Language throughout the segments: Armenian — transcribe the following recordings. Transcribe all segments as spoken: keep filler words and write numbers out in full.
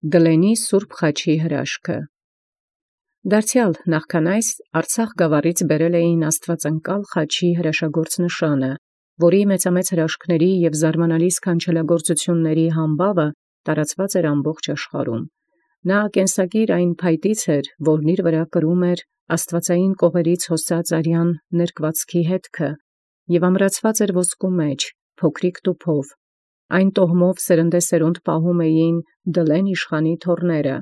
Դլենի սուրբ խաչի հրաշքը։ Դարձեալ նախքան այս Արցախ գաւառից բերել էին Աստուածընկալ խաչի հրաշագործ նշանը, որի մեծամեծ հրաշքների և զարմանալի սքանչելագործությունների համբաւը տարածված էր ամբողջ աշխարհում։ Նա կենսագիր այն փայտից էր, որն իր վրա կրում էր աստուածային կողերից հոսած արյան ներկվածքի հետքը, և ամրացված էր ոսկու մեջ, փոքրիկ տուփով։ Այն տոհմով սերնդեսերունդ պահում էին Դլեն իշխանի թոռները։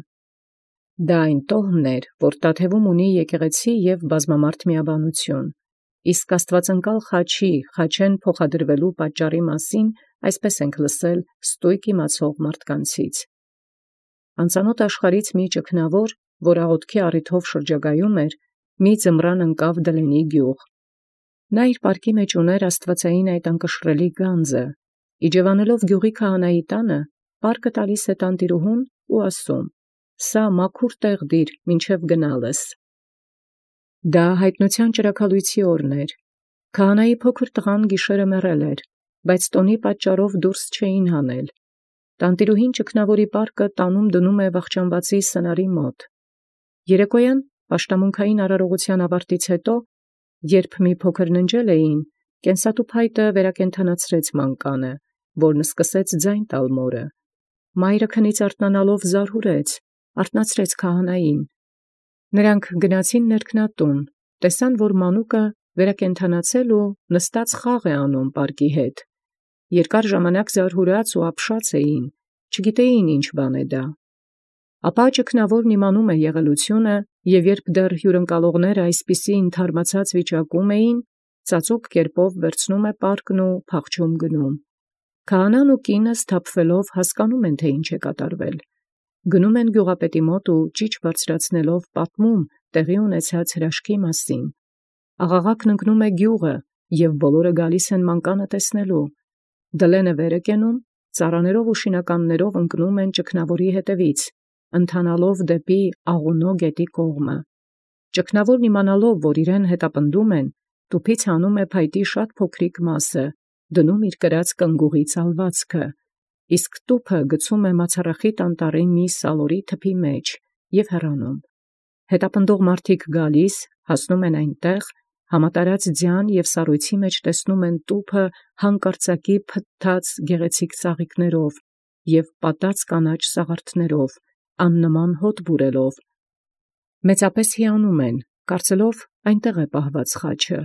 Դա այն տոհմն էր, որ Տաթևում ունի եկեղեցի և բազմամարդ միաբանություն։ Իսկ Աստուածընկալ խաչի խաչեն փոխադրվելու պատճառի մասին այսպես ենք լսել ստույգ իմացող մարդկանցից։ Անծանոթ աշխարհից մի ճգնավոր, որ աղոթքի առիթով շրջագայում էր, մի ձմռան ընկավ Դլենի գյուղ։ Նա իր պարկի մեջ ուներ աստուածային այդ անկշռելի գանձը, իջևանելով գյուղի քահանայի տանը, պարկը տալիս է տանտիրուհուն ու ասում. «Սա մաքուր տեղ դիր, մինչև գնալս»։ Դա հայտնության ճրագալույցի օրն էր։ Քահանայի փոքր տղան գիշերը մեռել էր, բայց տոնի պատճառով դուրս չէին հանել։ Տանտիրուհին ճգնավորի պարկը տանում դնում է վախճանվածի սնարի մոտ։ Երեկոյան պաշտամունքային արարողության ավարտից հետո, երբ մի փոքր ննջել էին, կենսատու փայտը վերակենդանացրեց մանկանը, որն սկսեց ձայն տալ մորը։ Մայրը քնից արթնանալով զարհուրեց, արթնացրեց քահանային։ Նրանք գնացին ներքնատուն, տեսան, որ մանուկը վերակենդանացել ու նստած խաղ է անում պարկի հետ։ Երկար ժամանակ զարհուրած ու ապշած էին, չգիտեին ինչ բան է դա։ Ապա ճգնավորն իմանում է եղելությունը, և երբ դեռ հյուրընկալողները այսպիսի ընդհարմացած վիճակում էին, ծածուկ կերպով վերցնում է պարկն ու փախչում գնում։ Քահանան ու կինը սթափվելով հասկանում են, թե ինչ է կատարվել։ Գնում են գյուղապետի մոտ ու ճիչ բարձրացնելով պատմում տեղի ունեցած հրաշքի մասին։ Աղաղակն ընկնում է գյուղը, և բոլորը գալիս են մանկանը տեսնելու։ Դլենը վեր է կենում, ծառաներով ու շինականներով ընկնում են ճգնավորի հետևից, ընթանալով դեպի Աղունո գետի կողմը։ Ճգնավորն իմանալով, որ իրեն հետապնդում են, տուփից հանում է փայտի շատ փոքրիկ մասը, դնում իր կրած կնգուղի ծալվածքը, իսկ տուփը գցում է մացառախիտ անտառի մի սալորի թփի մեջ և հեռանում։ Հետապնդող մարդիկ գալիս, հասնում են այնտեղ, համատարած ձյան և սառույցի մեջ տեսնում են տուփը հանկարծակի փթթած գեղեցիկ ծաղիկներով և պատած կանաչ սաղարթներով, աննման հոտ բուրելով։ Մեծապես հիանում են, կարծելով այնտեղ է պահված խաչը։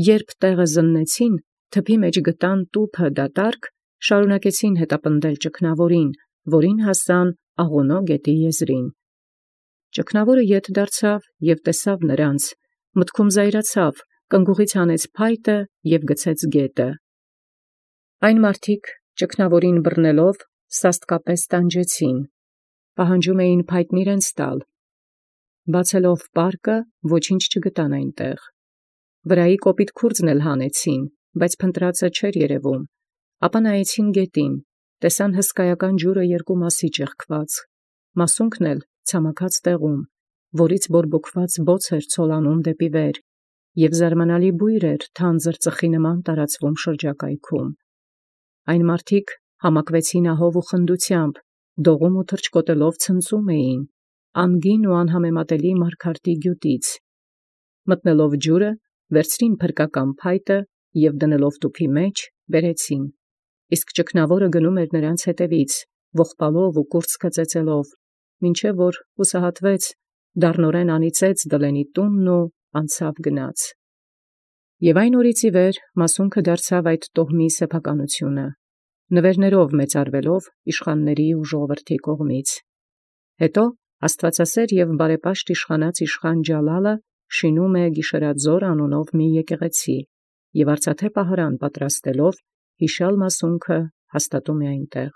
Երբ տեղը զննեցին, թփի մեջ գտան տուփը դատարկ, շարունակեցին հետապնդել ճգնավորին, որին հասան Աղունո գետի եզրին։ Ճգնավորը ետ դարձավ և տեսավ նրանց, մտքում զայրացավ, կնգուղից հանեց փայտը և գցեց գետը։ Այն մարդիկ ճգնավորին բռնելով սաստկապես տանջեցին, պահանջում էին փայտն իրենց տալ։ Բացելով պարկը, ոչինչ չգտան այնտեղ։ Վրայի կոպիտ քուրձն էլ հանեցին, բայց փնտրածը չէր երևում։ Ապա նայեցին գետին, տեսան հսկայական ջուրը երկու մասի ճեղքված, մասունքն էլ ցամաքած տեղում, որից բորբոքված բոց էր ցոլանում դեպի վեր, և զարմանալի բույր էր թանձր ծխի նման տարածվում շրջակայքում։ Այն մարդիկ համակվեցին ահով ու խնդությամբ, դողում ու թռչկոտելով ցնծում էին, անգին ու անհամեմատելի մարգարտի գյուտից։ Մտնելով ջուրը, վերցրին փրկական փայտը և դնելով տուփի մեջ, բերեցին։ Իսկ ճգնավորը գնում էր նրանց հետևից, ողբալով ու կուրծքը ծեծելով, մինչև որ հուսահատվեց, դառնորեն անիծեց Դլենի տունն ու անցավ գնաց։ Եվ այն օրից ի վեր մասունքը դարձավ այդ տոհմի սեփականությունը, նվերներով մեծարվելով իշխանների ու ժողովրդի կողմից։ Հետո աստվածասեր և բարեպաշտ իշխանած իշխան Ջալալը շինում է Գիշերաձոր անունով մի եկեղեցի և արծաթե պահարան պատրաստելով, հիշյալ մասունքը հաստատում է այնտեղ։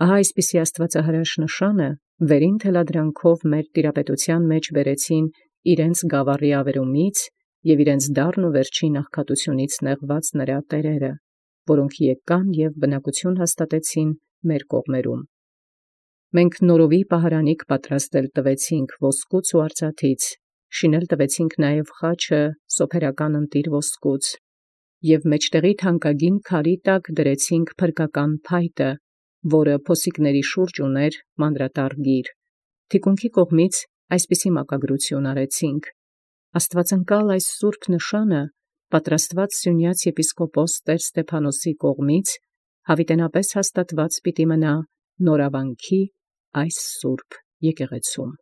Ահա այսպիսի աստվածահրաշ նշանը վերին թելադրանքով մեր տիրապետության մեջ բերեցին իրենց գավառի ավերումից և իրենց դառն ու վերջին աղքատությունից նեղված նրա տերերը, որոնք եկան և բնակություն հաստատեցին մեր կողմերում։ Մենք նորովի պահարանիկ պատրաստել տվեցինք ոսկուց ու արծաթից, շինել տվեցինք նաև խաչը սոփերական ընտիր ոսկուց, և մեջտեղի թանկագին քարի տակ դրեցինք փրկական փայտը, որը փոսիկների շուրջ ունէր մանրատար գիր։ Թիկունքի կողմից այսպիսի մակագրություն արեցինք. Աստուածընկալ այս սուրբ նշանը պատրաստված Սիւնեաց եպիսկոպոս Տեր Ստեփանոսի կողմից յաւիտենապէս հաստատված պիտի մնա նորաւանքի այս սուրբ եկեղեցում։